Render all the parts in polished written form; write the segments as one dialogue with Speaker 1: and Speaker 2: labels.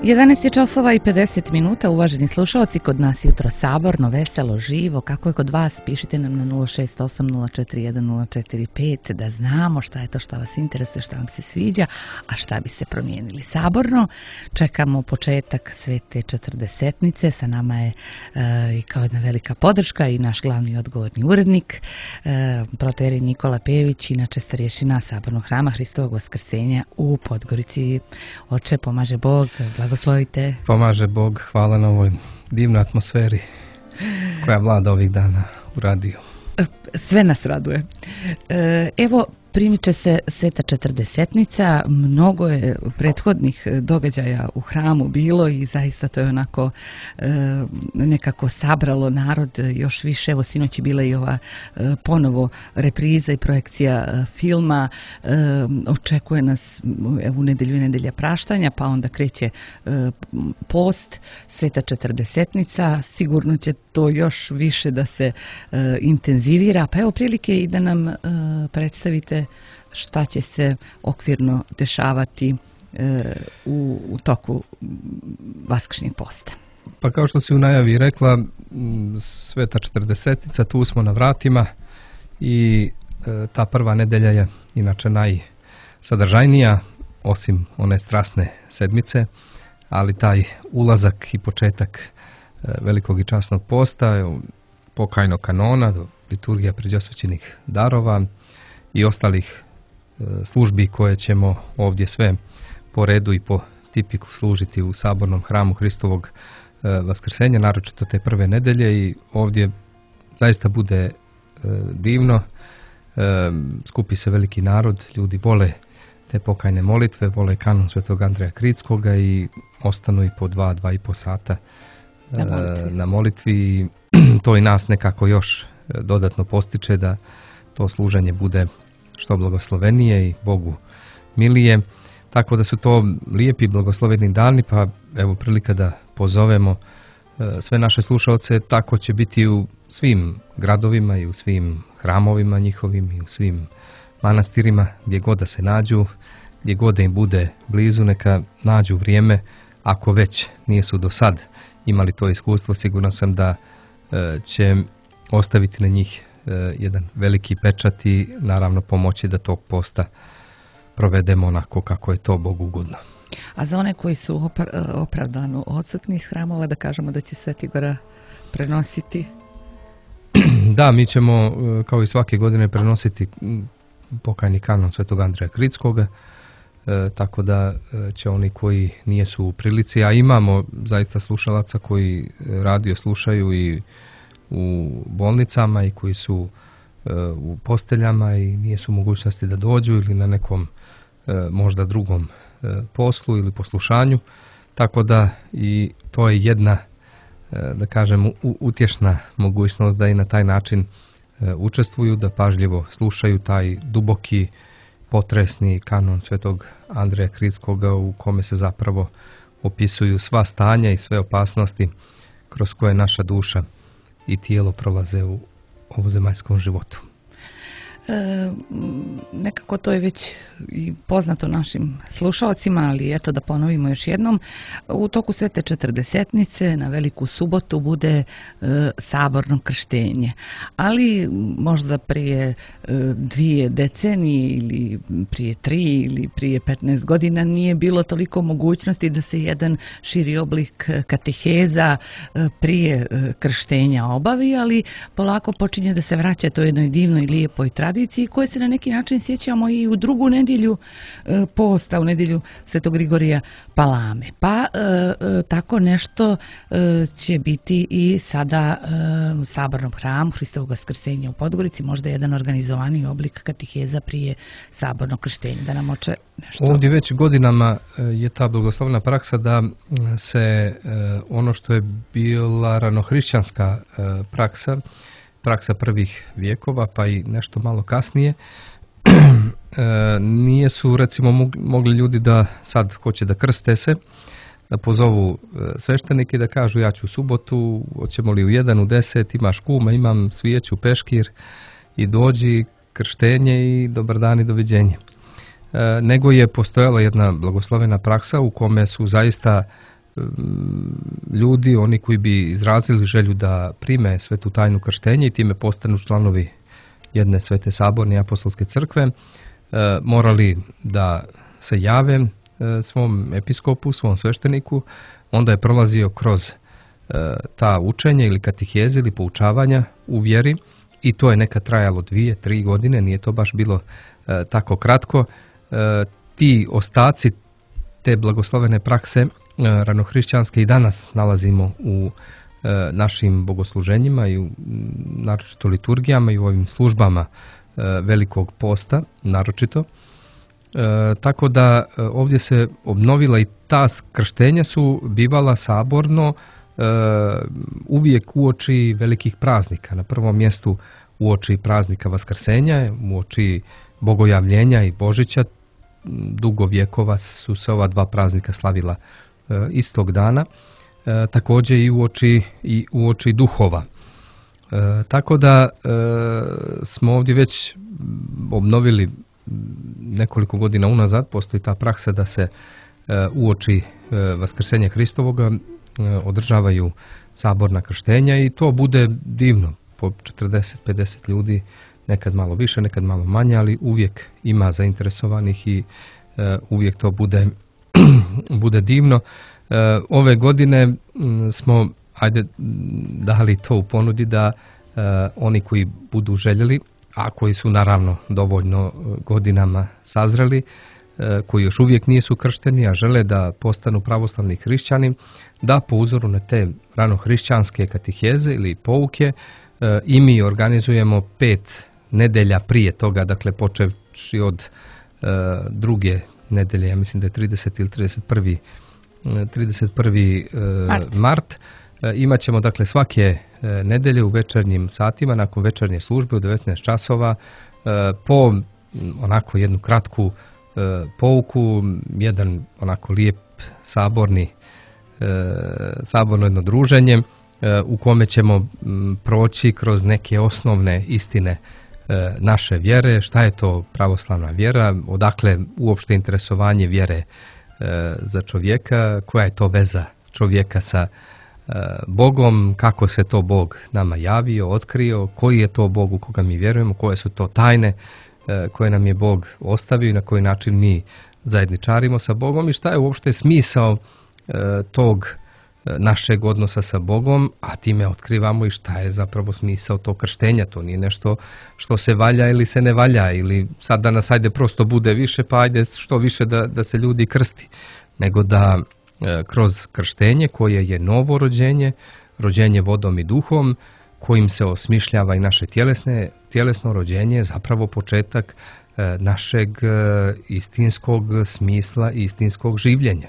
Speaker 1: 11 je časova i 50 minuta, uvaženi slušalci, kod nas jutro saborno, veselo, živo. Kako je kod vas? Pišite nam na 068-041-045 da znamo šta je to što vas interesuje, šta vam se sviđa, a šta biste promijenili. Saborno, čekamo početak Svete Četrdesetnice, sa nama je i kao jedna velika podrška i naš glavni odgovorni urednik, protoijerej Nikola Pejević, inače starješina Sabornog hrama Hristovog Vaskrsenja u Podgorici. Oče, pomaže Bog, blagoslovite.
Speaker 2: Pomaže Bog, hvala na ovoj divnoj atmosferi koja vlada ovih dana u radiju.
Speaker 1: Sve nas raduje. Evo, primiče se Sveta Četrdesetnica, mnogo je prethodnih događaja u hramu bilo i zaista to je onako nekako sabralo narod još više. Evo, sinoć je bila i ova ponovo repriza i projekcija filma. Očekuje nas evo u nedelju i nedelja praštanja, pa onda kreće post, Sveta Četrdesetnica. Sigurno će to još više da se intenzivira. Pa evo prilike i da nam predstavite šta će se okvirno dešavati u toku Vaskršnjeg posta.
Speaker 2: Pa kao što si u najavi rekla, Sveta Četrdesetnica, tu smo na vratima i ta prva nedelja je inače najsadržajnija, osim one strasne sedmice, ali taj ulazak i početak velikog i časnog posta, pokajnog kanona, do liturgija pređosvećenih darova i ostalih službi koje ćemo ovdje sve po redu i po tipiku služiti u Sabornom hramu Hristovog Vaskrsenja, naročito te prve nedelje, i ovdje zaista bude divno. Skupi se veliki narod, ljudi vole te pokajne molitve, vole kanon Svetog Andreja Kritskoga i ostanu i po 2,5 sata na molitvi. To i nas nekako još dodatno postiče da to služenje bude što blagoslovenije i Bogu milije. Tako da su to lijepi blagosloveni dani, pa evo prilika da pozovemo sve naše slušalce. Tako će biti u svim gradovima i u svim hramovima njihovim i u svim manastirima, gdje god da se nađu, gdje god da im bude blizu, neka nađu vrijeme. Ako već nisu do sad imali to iskustvo, siguran sam da će ostaviti na njih jedan veliki pečat i naravno pomoći da tog posta provedemo onako kako je to Bogu ugodno.
Speaker 1: A za one koji su opravdano odsutni iz hramova, da kažemo da će Sveti Gora prenositi?
Speaker 2: Da, mi ćemo kao i svake godine prenositi pokajni kanon Svetog Andreja Kritskoga, tako da će oni koji nijesu u prilici, a imamo zaista slušalaca koji radio slušaju i u bolnicama i koji su u posteljama i nijesu u mogućnosti da dođu ili na nekom možda drugom poslu ili poslušanju, tako da i to je jedna, da kažem, utješna mogućnost da i na taj način učestvuju, da pažljivo slušaju taj duboki, potresni kanon Svetog Andreja Kritskoga, u kome se zapravo opisuju sva stanja i sve opasnosti kroz koje naša duša i tijelo prolaze u ovozemaljskom životu.
Speaker 1: Nekako to je već i poznato našim slušalcima, ali eto da ponovimo još jednom. U toku Svete Četrdesetnice na Veliku subotu bude saborno krštenje, ali možda prije 2 decenije ili prije 3 ili prije 15 godina nije bilo toliko mogućnosti da se jedan širi oblik kateheza prije krštenja obavi, ali polako počinje da se vraća to jednoj divnoj, lijepoj tradiciji koje se na neki način sjećamo i u drugu nedjelju posta, u nedjelju Svetog Grigorija Palame. Pa tako nešto će biti i sada u Sabornom hramu Hristovog Vaskrsenja u Podgorici, možda jedan organizovani oblik kateheza prije sabornog krštenja. Da nam oče nešto...
Speaker 2: Ovdje već godinama je ta blagoslovna praksa da se ono što je bila ranohrišćanska praksa prvih vijekova, pa i nešto malo kasnije, nije su recimo mogli ljudi da sad hoće da krste se, da pozovu sveštenike i da kažu ja ću u subotu, hoćemo li u 1, u 10, imaš kuma, imam svijeću, peškir i dođi, krštenje i dobar dan i doviđenje. Nego je postojala jedna blagoslovena praksa u kome su zaista ljudi, oni koji bi izrazili želju da prime svetu tajnu krštenja i time postanu članovi jedne svete saborne apostolske crkve, morali da se jave svom episkopu, svom svešteniku. Onda je prolazio kroz ta učenja ili katiheze ili poučavanja u vjeri i to je nekad trajalo 2-3 godine, nije to baš bilo tako kratko. Ti ostaci te blagoslovene prakse ranohrišćanske i danas nalazimo u našim bogosluženjima i u naročito liturgijama i u ovim službama Velikog posta naročito. Tako da ovdje se obnovila i ta krštenja su bivala saborno uvijek uoči velikih praznika. Na prvom mjestu uoči praznika Vaskrsenja, uoči Bogojavljenja i Božića. Dugo vjekova su se ova dva praznika slavila istog dana. Također i uoči duhova. Tako da smo ovdje već obnovili nekoliko godina unazad, postoji ta praksa da se uoči Vaskrsenja Hristovoga održavaju saborna krštenja i to bude divno, po 40-50 ljudi, nekad malo više, nekad malo manje, ali uvijek ima zainteresovanih i uvijek to bude divno. Ove godine smo dali to u ponudi da oni koji budu željeli, a koji su naravno dovoljno godinama sazreli, koji još uvijek nisu kršteni, a žele da postanu pravoslavni hrišćani, da po uzoru na te ranohrišćanske katiheze ili pouke i mi organizujemo 5 nedelja prije toga, dakle počevši od druge nedelje, ja mislim da je 30 ili 31. mart. Imat ćemo dakle svake nedelje u večernjim satima, nakon večernje službe u 19 časova, po onako jednu kratku pouku, jedan onako lijep saborno jedno druženje u kome ćemo proći kroz neke osnovne istine naše vjere, šta je to pravoslavna vjera, odakle uopšte interesovanje vjere za čovjeka, koja je to veza čovjeka sa Bogom, kako se to Bog nama javio, otkrio, koji je to Bog u koga mi vjerujemo, koje su to tajne koje nam je Bog ostavio i na koji način mi zajedničarimo sa Bogom i šta je uopšte smisao tog našeg odnosa sa Bogom, a time otkrivamo i šta je zapravo smisao tog krštenja. To nije nešto što se valja ili se ne valja, ili sad danas ajde prosto bude više, pa ajde što više da se ljudi krsti, nego da kroz krštenje koje je novo rođenje, rođenje vodom i duhom, kojim se osmišljava i naše tjelesno rođenje, zapravo početak našeg istinskog smisla i istinskog življenja.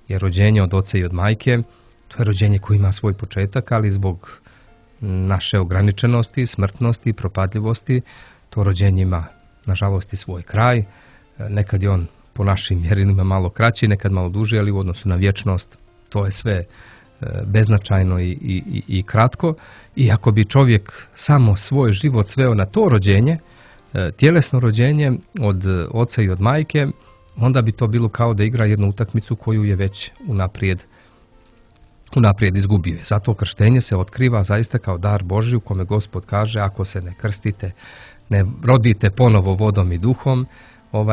Speaker 2: Jer rođenje od oca i od majke, to je rođenje koje ima svoj početak, ali zbog naše ograničenosti, smrtnosti i propadljivosti, to rođenje ima, nažalost, i svoj kraj. Nekad je on po našim mjerilima malo kraći, nekad malo duži, ali u odnosu na vječnost to je sve beznačajno i kratko. I ako bi čovjek samo svoj život sveo na to rođenje, tjelesno rođenje od oca i od majke, onda bi to bilo kao da igra jednu utakmicu koju je već unaprijed izgubio. Zato krštenje se otkriva zaista kao dar Božji u kome Gospod kaže: ako se ne krstite, ne rodite ponovo vodom i duhom,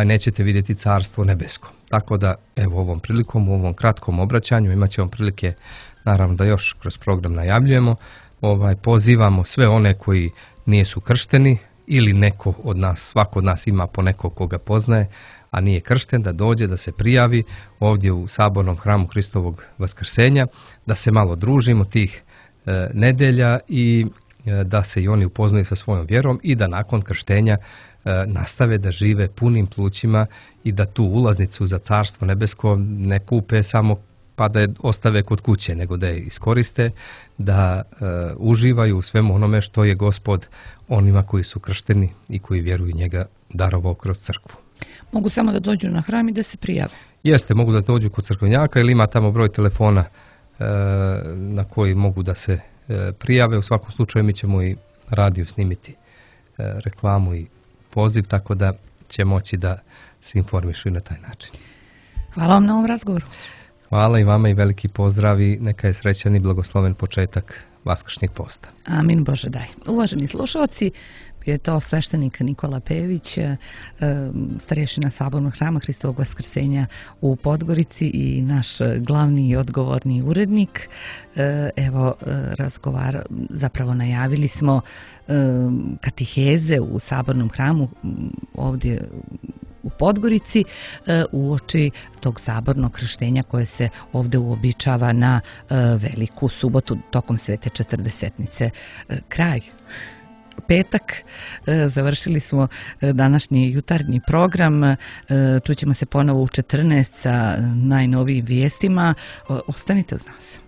Speaker 2: nećete vidjeti carstvo nebesko. Tako da, evo, ovom prilikom, u ovom kratkom obraćanju imat ćemo prilike, naravno, da još kroz program najavljujemo, pozivamo sve one koji nisu kršteni ili neko od nas, svako od nas ima po nekog koga poznaje, a nije kršten, da dođe, da se prijavi ovdje u sabornom hramu Hristovog Vaskrsenja, da se malo družimo tih nedelja i da se i oni upoznaju sa svojom vjerom i da nakon krštenja nastave da žive punim plućima i da tu ulaznicu za carstvo nebesko ne kupe samo pa da je ostave kod kuće, nego da je iskoriste, da uživaju u svemu onome što je Gospod onima koji su kršteni i koji vjeruju njega darovao kroz crkvu.
Speaker 1: Mogu samo da dođu na hram i da se prijave?
Speaker 2: Jeste, mogu da dođu kod crkvenjaka ili ima tamo broj telefona na koji mogu da se prijave. U svakom slučaju mi ćemo i radiju snimiti reklamu i poziv, tako da će moći da se informišu i na taj način.
Speaker 1: Hvala vam na ovom razgovoru.
Speaker 2: Hvala i vama i veliki pozdrav i neka je srećan i blagosloven početak Vaskršnjeg posta.
Speaker 1: Amin Bože daj. Uvaženi slušalci, je to sveštenik Nikola Pejević, starješina Sabornog hrama Hristovog Vaskrsenja u Podgorici i naš glavni i odgovorni urednik. Evo, zapravo najavili smo katiheze u Sabornom hramu ovdje u Podgorici uoči tog sabornog krštenja koje se ovdje uobičava na Veliku subotu tokom Svete Četrdesetnice. Kraj. Petak, završili smo današnji jutarnji program, čućemo se ponovo u 14 sa najnovijim vijestima. Ostanite uz nas.